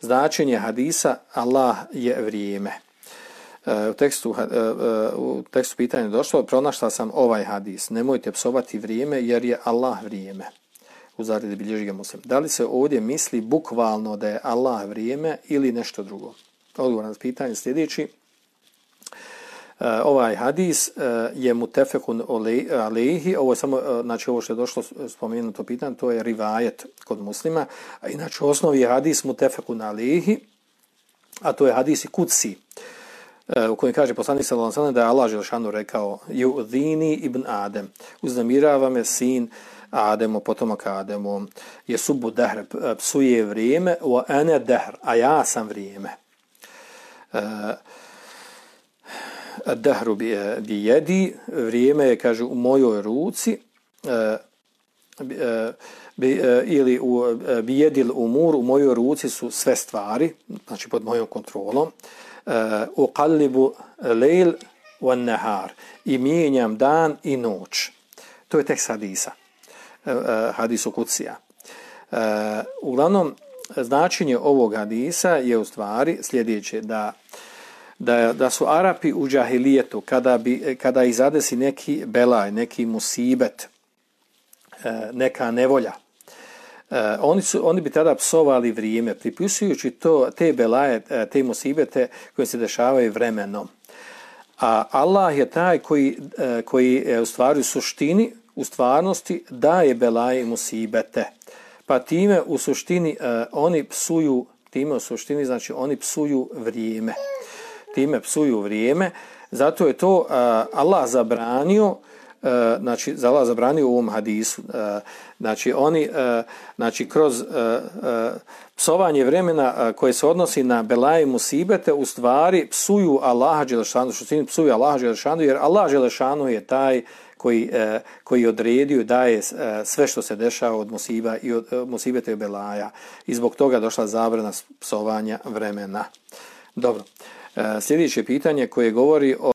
značenje hadisa Allah je vrijeme. U tekstu pitanja je došlo, pronašla sam ovaj hadis, nemojte psovati vrijeme jer je Allah vrijeme. U zaradi bilježi ga Muslim. Da li se ovdje misli bukvalno da je Allah vrijeme ili nešto drugo? Odgovor na pitanje sljedeći. Ovaj hadis je mutefekun alejhi, ovo je samo, znači ovo što je došlo spomenuto pitanje, to je rivajet kod Muslima, a inače osnovi je hadis mutefekun alejhi, a to je hadis kudsi, u kojem kaže poslanik sallallahu alejhi ve sellem da je Allah dželešanu rekao yu'dhini ibn Adem, uznemirava me sin Ademo, potomak Ademo, je subu dahr, psuje vrijeme, wa ana dahr, a ja sam vrijeme. Dahru bi jedi, vrijeme je, kaže, u mojoj ruci, ili bi jedil umur, u mojoj ruci su sve stvari, znači pod mojom kontrolom. Uqallibu lejl wan nahar, i mijenjam dan i noć. To je tekst hadisa, hadisu kudsija. Uglavnom, značenje ovog hadisa je u stvari sljedeće, da su Arapi u džahilijetu, kada ih zadesi neki belaj, neki musibet, neka nevolja, oni bi tada psovali vrijeme, pripisujući te belaje, te musibete koje se dešavaju vremenom. A Allah je taj koji u stvari u stvarnosti daje belaje i musibete. Pa time u suštini oni psuju, znači oni psuju vrijeme. Time psuju vrijeme, zato je to Allah zabranio, znači Allah zabranio u ovom hadisu, znači oni, znači kroz psovanje vremena koje se odnosi na belaje i musibete, u stvari psuju Allaha dželešanu, što psuju Allaha dželešanu, jer Allah dželešanu je taj koji odredio, daje sve što se dešava od musiba i od musibete i belaja, i zbog toga došla zabrana psovanja vremena. Dobro. Sljedeće pitanje koje govori o